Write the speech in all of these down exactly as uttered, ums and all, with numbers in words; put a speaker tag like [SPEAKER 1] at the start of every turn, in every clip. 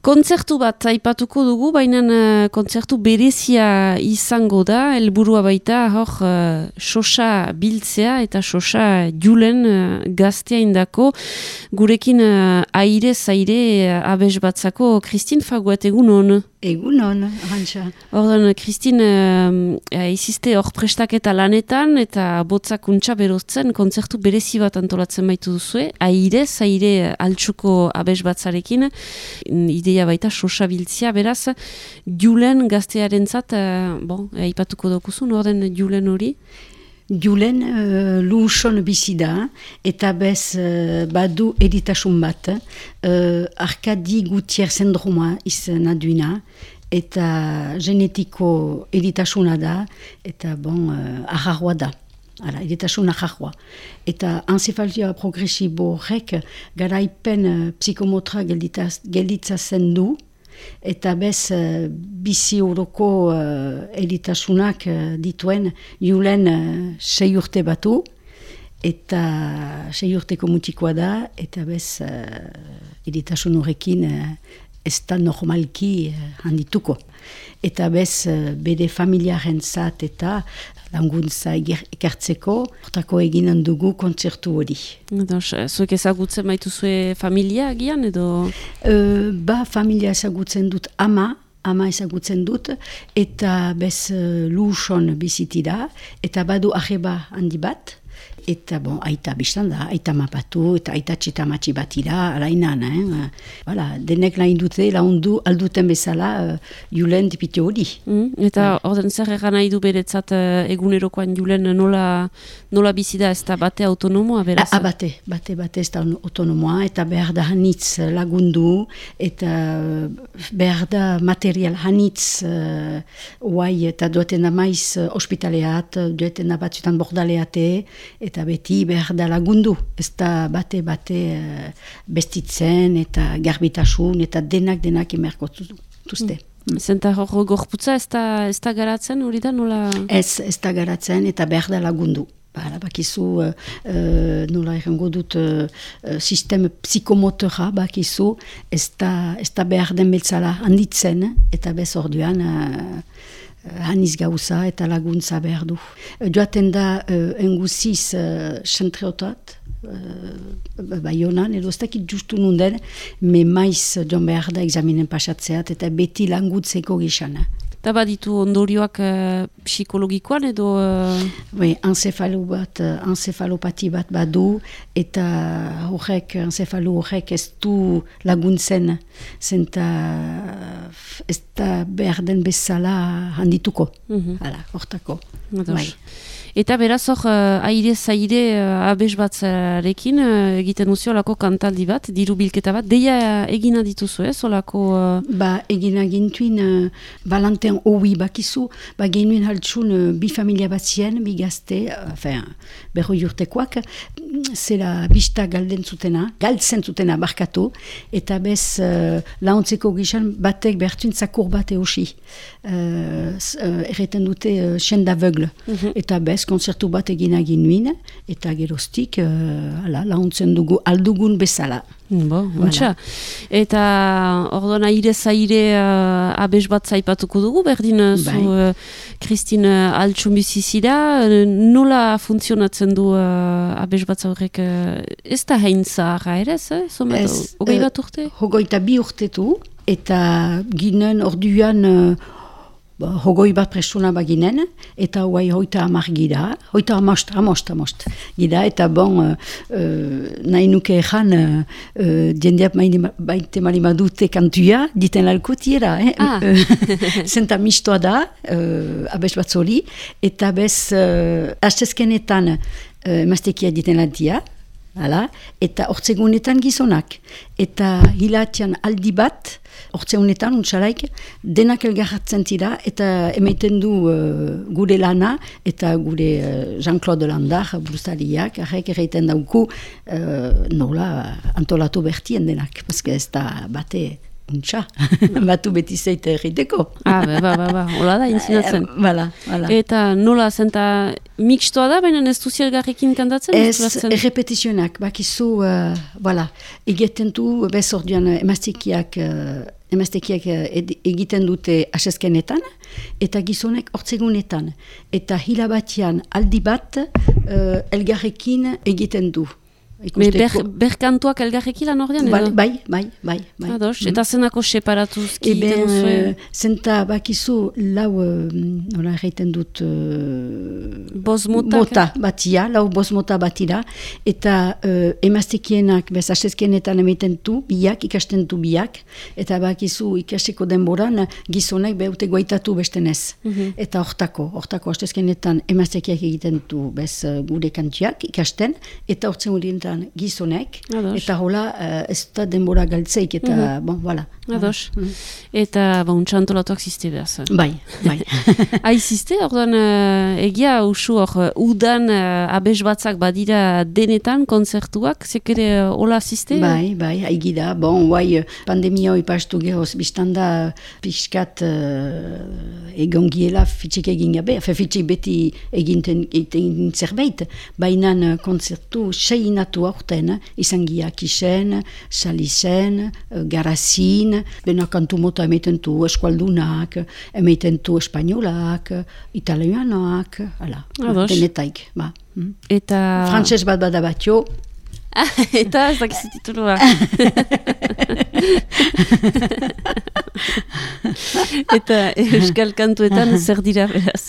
[SPEAKER 1] Kontzertu bat aipatuko dugu, baina uh, kontzertu berezia izango da, helburua baita, hor, uh, sosa biltzea eta sosa julen uh, gaztea indako, gurekin uh, aire zaire uh, abes batzako Kristin Faguet, egun hon?
[SPEAKER 2] Egun hon, Arantxa.
[SPEAKER 1] Ordan, Kristin, uh, iziste hor prestaketa lanetan eta botzak untxa beroztzen, kontzertu berezi bat antolatzen baitu duzue, aire zaire altsuko abes batzarekin, ideia baita sosa biltzea, beraz, julen gaztearentzat, uh, bon, aipatuko dokuzun, orden julen hori?
[SPEAKER 2] Julen uh, luson bizi da, eta bez uh, badu editasun bat, uh, Arkadi Gutier sendroma izena duina, eta genetiko editasuna da, eta bon, uh, aharroa da. Hala, editasun aharroa. Eta encefalia progresibo horrek garaipen uh, psikomotra gelditza zen du, eta bez uh, bizi horoko uh, editasunak uh, dituen julen uh, sei urte batu, eta sei urteko mutikoa da, eta bez uh, editasun horrekin uh, ez da normalki uh, handituko. Eta bez uh, bede familiaren zat eta languntza ekartzeko, hortako eginen dugu kontzertu hori.
[SPEAKER 1] Zuek ezagutzen baitu zue familia agian edo?
[SPEAKER 2] Uh, ba, familia ezagutzen dut ama, ama ezagutzen dut, eta bez uh, luson bizitira, eta badu arreba handi bat, eta bon, aita biztan da, aita mapatu, eta aita txetamatxi batira, alainan, eh? Voilà, denek lain dute, laundu alduten bezala, uh, julen dipite hori.
[SPEAKER 1] Mm, eta ouais. Orden zer egan nahi du beretzat uh, egunerokoan julen nola, nola bizida ez da bate autonomoa, beraz?
[SPEAKER 2] A, a bate, bate, bate ez da autonomoa, eta behar da hanitz lagundu, eta behar da material hanitz, uh, oai, eta dueten da maiz uh, ospitaleat, dueten da batzutan bordaleate, eta beti behar da lagundu, ez da bate-bate uh, bestitzen eta garbitasun eta denak denak emerko tuzte.
[SPEAKER 1] Mm. Zenta hor gorputza ez da, ez da garatzen hori da nola?
[SPEAKER 2] Ez, ez da garatzen eta behar da lagundu. Bara, bakizu, uh, uh, nola errango dut, uh, uh, sistem psikomotora bakizu, ez da, ez da behar den beltzala handitzen, eta bez orduan uh, haniz gauza eta laguntza behar du. Joaten da uh, enguziz uh, xentreotat, uh, Baionan, edo ez dakit justu nunden, me maiz joan behar da examinen pasatzeat eta beti langutzeko gizana.
[SPEAKER 1] Eta baditu ondorioak uh, psikologikoan edo... Uh...
[SPEAKER 2] Oui, encefalo bat, encefalopati bat badu, eta horrek, encefalo horrek ez du laguntzen, zenta ez da behar den bezala handituko, mm-hmm. Hala, hortako. Bai.
[SPEAKER 1] Eta beraz hor, uh, aire zaire uh, abes batzarekin uh, egiten duzio olako kantaldi bat, diru bilketa bat, deia egina dituzu, ez, olako... Uh...
[SPEAKER 2] Ba, egina gintuin, uh, balantean oui bakizu, ba genuen haltsun uh, bi familia bat zien, bi gazte, uh, enfin, berroi urtekoak, zera bista galden zutena, galtzen zutena barkatu, eta bez uh, launtzeko gizan batek behartuin zakur bat eusi. Uh, uh, erreten dute uh, senda aveugle, mm-hmm. Eta bez konzertu bat egina ginuin, eta geroztik uh, launtzen dugu aldugun bezala.
[SPEAKER 1] Bo, voilà. Eta orduan aire zaire uh, abes bat zaipatuko dugu, berdin zu Kristin uh, altsun bizizida, nola funtzionatzen du uh, abes bat zaurek, uh, ez da hain zaharra ere, eh? Zomet, hogei bat urte?
[SPEAKER 2] Hogeita bi urtetu, eta ginen orduan uh, hogoi bat prestuna baginen, eta guai hoita amar gira, hoita amost, amost, amost gira, eta bon, uh, uh, nahi nuke ezan, uh, diendeap baite malima dute kantua, diten lalkotiera, eh?
[SPEAKER 1] Ah.
[SPEAKER 2] Zenta mistoa da, uh, abes bat zoli, eta bez, uh, astezkenetan uh, emaztekia diten lantia, hala, eta hortzegunetan gizonak, eta hilatian aldi bat, hortzeunetan, untsalaik, denak elgarratzen tira, eta emaiten du uh, gure lana, eta gure uh, Jean-Claude Landar, bruzaliak, arrek erreiten dauku, uh, nola antolatu bertien denak, paske ez da bate untxa, batu beti zeite erriteko.
[SPEAKER 1] Ah, ba, ba, ba, hola da, intzinatzen.
[SPEAKER 2] Bala, bala.
[SPEAKER 1] Eta nola, zenta mixtoa da, baina ez duzi elgarrekin kantatzen?
[SPEAKER 2] Ez, repetizionak, bakizu, uh, voilà, egiten du, bez orduan emaztikiak uh, emaztekiak egiten dute asezkenetan, eta gizonek hortzegunetan. Eta hilabatian aldi bat uh, elgarrekin egiten du.
[SPEAKER 1] Me ber, berkantuak elgarrekin lan ordean?
[SPEAKER 2] Bai, bai, bai, bai. bai.
[SPEAKER 1] Ados, mm. Eta zenako separatuzki?
[SPEAKER 2] Eben, uh, zenta bakizu lau, uh, nola erraiten dut, uh,
[SPEAKER 1] boz motak,
[SPEAKER 2] mota batia, lau boz mota batira, eta uh, emaztekienak, bez, asezkenetan emeten du, biak, ikasten du biak, eta bakizu ikasiko denboran gizonek beute goitatu bestenez. Mm-hmm. Eta hortako, hortako asezkenetan emaztekiak egiten du, bez, gure kantiak ikasten, eta hortzen gure gizonek, Ados. Eta hola uh, ez da denbora galtzeik, eta mm-hmm. bon, voilà.
[SPEAKER 1] Ados. Mm-hmm. Eta bon, txantolatuak ziste behaz.
[SPEAKER 2] Bai, bai.
[SPEAKER 1] Hai ziste, orduan uh, egia usu hor, udan uh, abes batzak badira denetan konzertuak, zekere uh, hola ziste?
[SPEAKER 2] Bai, bai, haigida. Bon, guai, pandemia hoi pastu gehoz, biztanda pixkat uh, egongiela fitxik egin gabe, fe fitxik beti eginten, egin zerbait, bainan uh, konzertu seinatu aurten, izan giak isen, salisen, garazin, bena kantu mota emeten du eskualdunak, emeten du espainolak, italianoak, ala, denetaik. Ba.
[SPEAKER 1] Eta...
[SPEAKER 2] Frantses bat bada batio.
[SPEAKER 1] Eta ez dakizu titulua. Eta euskal kantuetan zer dira beraz?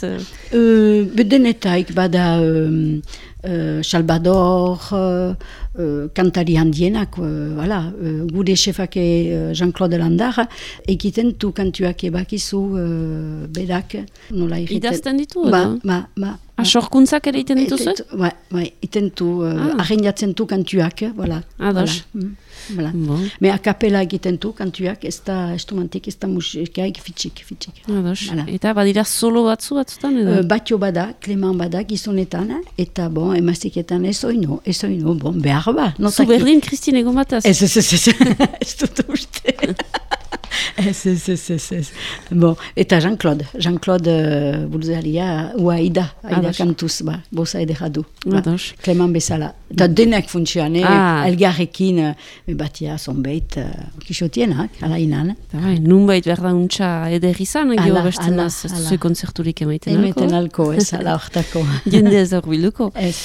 [SPEAKER 2] Uh, denetaik bada... Um, Uh, Salvador, uh, uh, kantari handienak, uh, voilà, uh, gure chefake uh, Jean-Claude Landar, egiten du kantuak ebakizu uh, berak, nola egiten.
[SPEAKER 1] Idazten ditu,
[SPEAKER 2] ba,
[SPEAKER 1] edo?
[SPEAKER 2] Ba, ba.
[SPEAKER 1] Asorkuntzak ere iten dituzu?
[SPEAKER 2] Ba, ba, iten du, uh, ah. arrendatzen du kantuak, voilà.
[SPEAKER 1] Ados.
[SPEAKER 2] Voilà. Voilà.
[SPEAKER 1] Bon.
[SPEAKER 2] Me a kapela egiten du kantuak, ez da estumantik, ez da musikaik fitxik, fitxik.
[SPEAKER 1] Ados. Voilà. Eta badira solo batzu batzutan edo?
[SPEAKER 2] Uh, batio bada, Clement bada gizonetan, eta bon, emaztiketan ez oino, ez oino, bon, behar ba.
[SPEAKER 1] Zu berdin, Kristine, egon bataz?
[SPEAKER 2] Ez, ez, ez, ez, ez dut uste. Ez, ez, ez, ez, ez. Bon, eta Jean-Claude, Jean-Claude uh, Bulzaria, ua Aida, Aida kantuz, ba, bosa edera du. Ba, Clement bezala. Eta denek funtzioan, ah. elgarrekin, uh, batia zonbeit, uh, kisotienak, ala inan.
[SPEAKER 1] Bai, nunbait berda untxa eder izan, gio bertzen az, zue konzerturik emaiten alko.
[SPEAKER 2] Emaiten alko, ez, ala hortako.
[SPEAKER 1] Jende ez horbiluko.
[SPEAKER 2] Ez.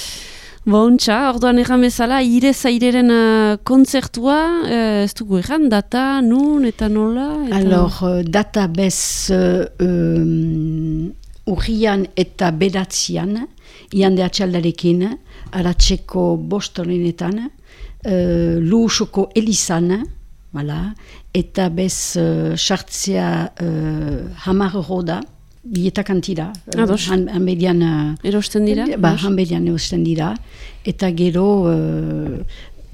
[SPEAKER 1] Bontxa, orduan erran bezala, ire zaireren uh, kontzertua, uh, ez dugu erran, data, nun, eta nola? Eta...
[SPEAKER 2] Alors, uh, data bez uh, um, urrian eta bedatzian, iande atxaldarekin, aratzeko bostoninetan, uh, luusoko elizan, voilà, eta bez sartzea uh, uh, hamar roda, bileta kantira, han, hanbedian...
[SPEAKER 1] Erosten dira?
[SPEAKER 2] Ba, hanbedian erosten dira. Eta gero, uh,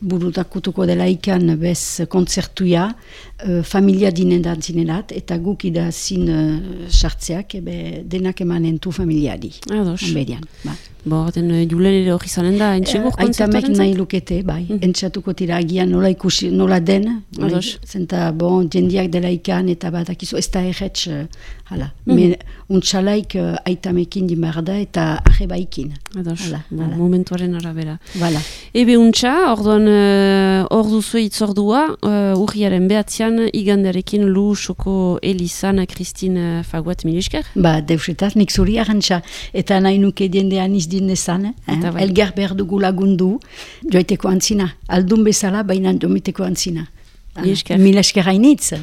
[SPEAKER 2] burutakutuko dela ikan bez kontzertuia, uh, familia dinen da zinerat, eta guk idazin uh, sartzeak, ebe denak emanentu familiari.
[SPEAKER 1] Ados.
[SPEAKER 2] Hanbedian, ba.
[SPEAKER 1] Bo, den julen ere hori zanen da, entxegur kontzertuaren
[SPEAKER 2] Aitamek nahi lukete, bai. Mm. Entxatuko tira agian nola ikusi, nola den.
[SPEAKER 1] Ados.
[SPEAKER 2] Zenta, bon, jendiak dela ikan, eta bat akizu, ez da erretz, hala. Mm. Me, untxalaik uh, aitamekin dimarda, eta arrebaikin.
[SPEAKER 1] Ados,
[SPEAKER 2] hala,
[SPEAKER 1] bo,
[SPEAKER 2] hala.
[SPEAKER 1] Momentuaren arabera.
[SPEAKER 2] Voilà.
[SPEAKER 1] Ebe untxa, orduan, uh, ordu zue itzordua, uh, urriaren behatzean, igandarekin lu soko elizan, Kristine Faguat Milisker.
[SPEAKER 2] Ba, deusetaz, nik zuri arantxa, eta nahi nuke jendean izdinezan, eh? Elgar behar dugu lagundu, joiteko antzina, aldun bezala, baina jomiteko antzina.
[SPEAKER 1] Milisker.
[SPEAKER 2] Milisker hainitz.